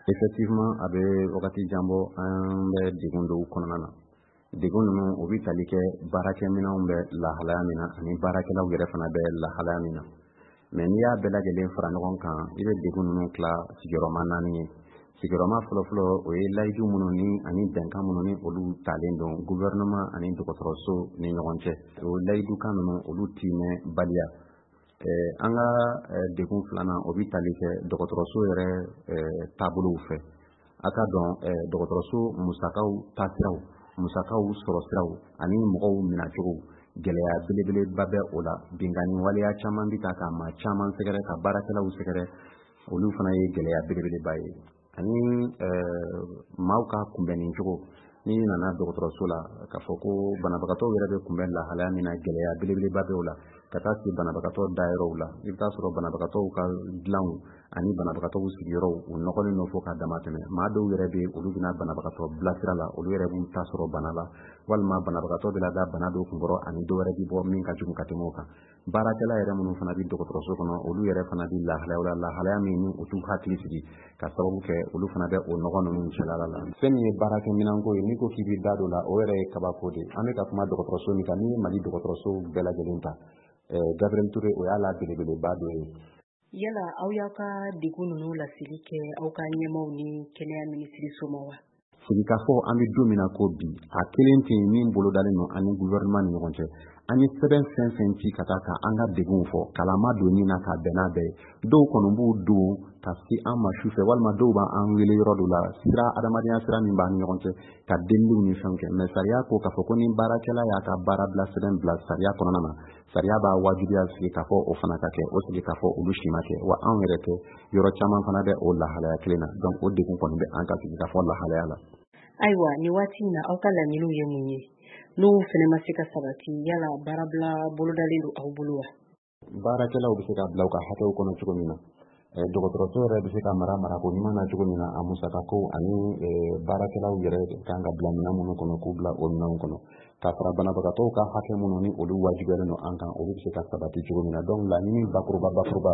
Effectivement, a bɛ wagati jan bɔ, an bɛ degun dɔw kɔnɔna na. Degun ninnu, o bɛ tali kɛ baarakɛminɛnw bɛ lahalaya min na ani baarakɛlaw yɛrɛ fana bɛ lahalaya min na. Mais n'i y'a bɛɛ lajɛlen fara ɲɔgɔn kan, i bɛ degun ninnu tila sigiyɔrɔma naani ye. Sigiyɔrɔma fɔlɔfɔlɔ, o ye layidu minnu ni ani bɛnkan minnu ni olu talen don gouvernement ani dɔgɔtɔrɔso ni ɲɔgɔn cɛ, o layidukan ninnu, olu timɛ baliya. An ka degun filanan, o bɛ tali kɛ dɔgɔtɔrɔso yɛrɛ taabolow fɛ. A ka dɔn, dɔgɔtɔrɔso musakaw taasiraw, musakaw sɔrɔsiraw ani mɔgɔw minɛcogo, gɛlɛya belebeleba bɛ o la. Binkanni waleya caman bɛ ta ka maa caman sɛgɛrɛ, ka baarakɛlaw sɛgɛrɛ, olu fana ye gɛlɛya belebeleba ye. Ani maaw ka kunbɛnni cogo, n'i nana dɔgɔtɔrɔso la, k'a fɔ ko banabagatɔw yɛrɛ bɛ kunbɛn lahalaya min na, gɛlɛya belebeleba bɛ o la. Ka taa se banabagatɔ dayɔrɔw la, i bɛ taa sɔrɔ banabagatɔw ka dilanw ani banabagatɔw sigiyɔrɔw, u nɔgɔlen don fo ka dama tɛmɛ. Maa dɔw yɛrɛ bɛ, olu bɛna banabagatɔ bilasira la, olu yɛrɛ b'u ta sɔrɔ bana la, walima banabagatɔ bɛ lada bana dɔw kunkɔrɔ ani dɔw wɛrɛ bɛ bɔ min ka jugu ka tɛmɛ o kan. Baarakɛla yɛrɛ minnu fana bɛ dɔgɔtɔrɔso kɔnɔ, olu yɛrɛ fana bɛ lahalayaw la, lahalaya min ni u t'u hakili sigi, ka sababu kɛ olu fana bɛ o nɔgɔ ninnu cɛla la. Fɛn min ye baarakɛminɛnko ye, n'i ko k'i bɛ da don la, o yɛrɛ ye kabako de ye. An bɛ ka kuma dɔgɔtɔrɔso min kan, n'i ye Mali dɔgɔtɔrɔso bɛɛ lajɛlen ta, Gabriel Touré, o y'a la belebeleba dɔ ye. Yala aw y'aw ka degun ninnu laseli kɛ aw ka ɲɛmaw ni kɛnɛya minisiriso ma wa? Sigikafɔ, an bɛ don min na ko bi, a kelen tɛ yen min bolodalen don an ni gouvernement ni ɲɔgɔn cɛ. An ye sɛbɛn fɛn fɛn ci ka taa ka an ka degunw fɔ, kalama don min na ka bɛn n'a bɛɛ ye, dɔw kɔni b'u don ka se an ma su fɛ, walima dɔw b'an wele yɔrɔ dɔ la, sira adamadenya sira min b'an ni ɲɔgɔn cɛ, ka deliliw ni fɛnw kɛ. Mais sariya ko k'a fɔ ko ni baarakɛla y'a ka baara bila sɛbɛn bila sariya kɔnɔna na, sariya b'a wajibiya sigi k'a fɔ o fana ka kɛ. O sigi k'a fɔ olu si ma kɛ. Wa anw yɛrɛ tɛ, yɔrɔ caman fana bɛ o lahalaya kelen na. Donc o degun kɔni bɛ an ka sigi k'a fɔ lahalaya la. Ayiwa, nin waati in na, aw ka laɲiniw ye mun ye? N'o fana ma se ka sabati, yala baarabila bolodalen don aw bolo wa? Baarakɛlaw bɛ se ka bila u ka hakɛw kɔnɔ cogo min na, dɔgɔtɔrɔso yɛrɛ bɛ se ka mara marako ɲuman na cogo min na, a musakako ani baarakɛlaw yɛrɛ kan ka bila minɛn minnu kɔnɔ, k'u bila o minɛnw kɔnɔ, ka fara banabagatɔw ka hakɛ minnu ni olu wajibiyalen don an kan, olu bɛ se ka sabati cogo min na. Donc laɲini bakuruba bakuruba,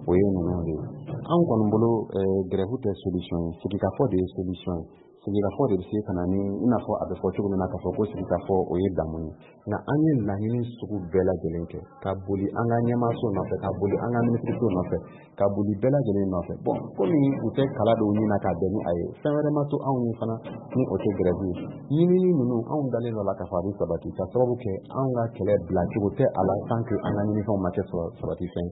o ye ninnu de ye. Anw kɔni bolo, grève tɛ solution ye, sigikafɔ de ye solution ye. Sigikafɔ de bɛ se ka na ni, i n'a fɔ a bɛ fɔ cogo min na k'a fɔ ko sigikafɔ, o ye damu ye. Nka an ye laɲini sugu bɛɛ lajɛlen kɛ, ka boli an ka ɲɛmaaso nɔfɛ, ka boli an ka minisiriso nɔfɛ, ka boli bɛɛ lajɛlen nɔfɛ. Bon, komi u tɛ kala dɔw ɲini ka bɛn ni a ye, fɛn wɛrɛ ma to anw ye fana ni o tɛ grève ye. Ɲinini ninnu, anw dalen dɔ la k'a fɔ a bɛ sabati, ka sababu kɛ anw ka kɛlɛ bilacogo tɛ a la tant que an ka ɲinifɛnw ma kɛ sabati fɛn.